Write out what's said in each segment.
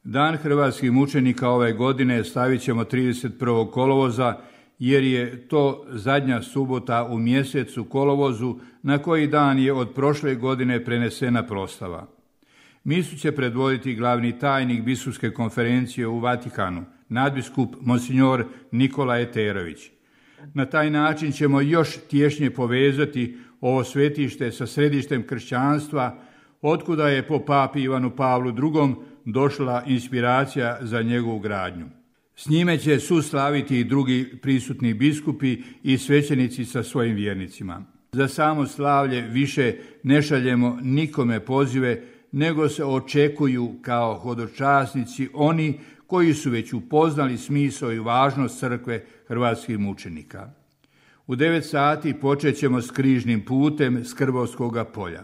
Dan hrvatskih mučenika ove godine stavit ćemo 31. kolovoza, jer je to zadnja subota u mjesecu kolovozu na koji dan je od prošle godine prenesena proslava. Misu će predvoditi glavni tajnik biskupske konferencije u Vatikanu, nadbiskup monsignor Nikola Eterović. Na taj način ćemo još tješnje povezati ovo svetište sa središtem kršćanstva, otkuda je po papi Ivanu Pavlu II. Došla inspiracija za njegovu gradnju. S njime će suslaviti i drugi prisutni biskupi i svećenici sa svojim vjernicima. Za samo slavlje više ne šaljemo nikome pozive, nego se očekuju kao hodočasnici oni koji su već upoznali smisao i važnost crkve hrvatskih mučenika. U 9 sati počet ćemo s križnim putem s Krbovskoga polja.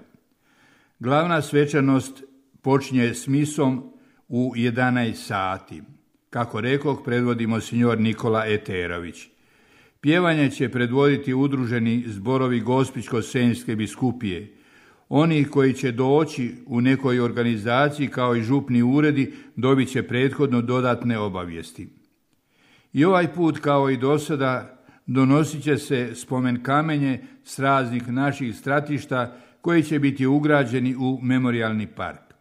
Glavna svečanost počinje s misom u 11 sati. Kako rekoh, predvodi monsignor Nikola Eterović. Pjevanje će predvoditi udruženi zborovi Gospićko-senjske biskupije. Oni koji će doći u nekoj organizaciji kao i župni uredi dobit će prethodno dodatne obavijesti. I ovaj put, kao i do sada, donosit će se spomen kamenje s raznih naših stratišta koji će biti ugrađeni u memorijalni park.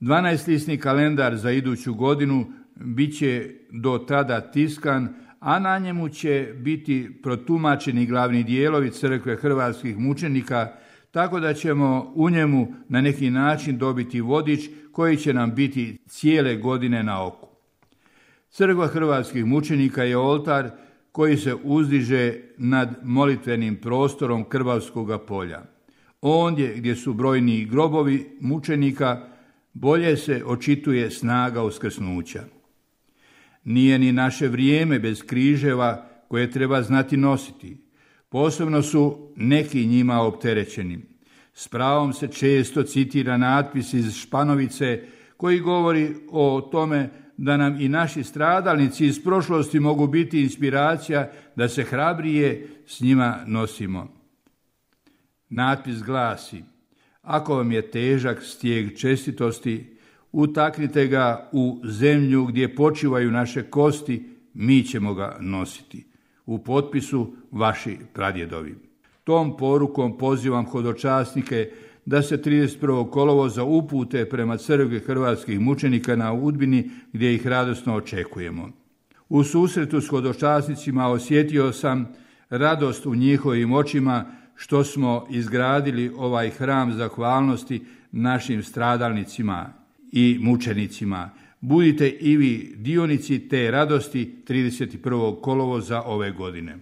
12-lisni kalendar za iduću godinu bit će do tada tiskan, a na njemu će biti protumačeni glavni dijelovi crkve hrvatskih mučenika, tako da ćemo u njemu na neki način dobiti vodič koji će nam biti cijele godine na oku. Crkva hrvatskih mučenika je oltar koji se uzdiže nad molitvenim prostorom Krbavskoga polja. Ondje gdje su brojni grobovi mučenika, bolje se očituje snaga uskrsnuća. Nije ni naše vrijeme bez križeva koje treba znati nositi. Posebno su neki njima opterećeni. S pravom se često citira natpis iz Španovice koji govori o tome da nam i naši stradalnici iz prošlosti mogu biti inspiracija da se hrabrije s njima nosimo. Natpis glasi: ako vam je težak stijeg čestitosti, utaknite ga u zemlju gdje počivaju naše kosti, mi ćemo ga nositi. U potpisu vaši pradjedovi. Tom porukom pozivam hodočasnike da se 31. kolovoza upute prema crkvi hrvatskih mučenika na Udbini, gdje ih radosno očekujemo. U susretu s hodočasnicima osjetio sam radost u njihovim očima što smo izgradili ovaj hram zahvalnosti našim stradalnicima i mučenicima. Budite i vi dionici te radosti 31. kolovoza ove godine.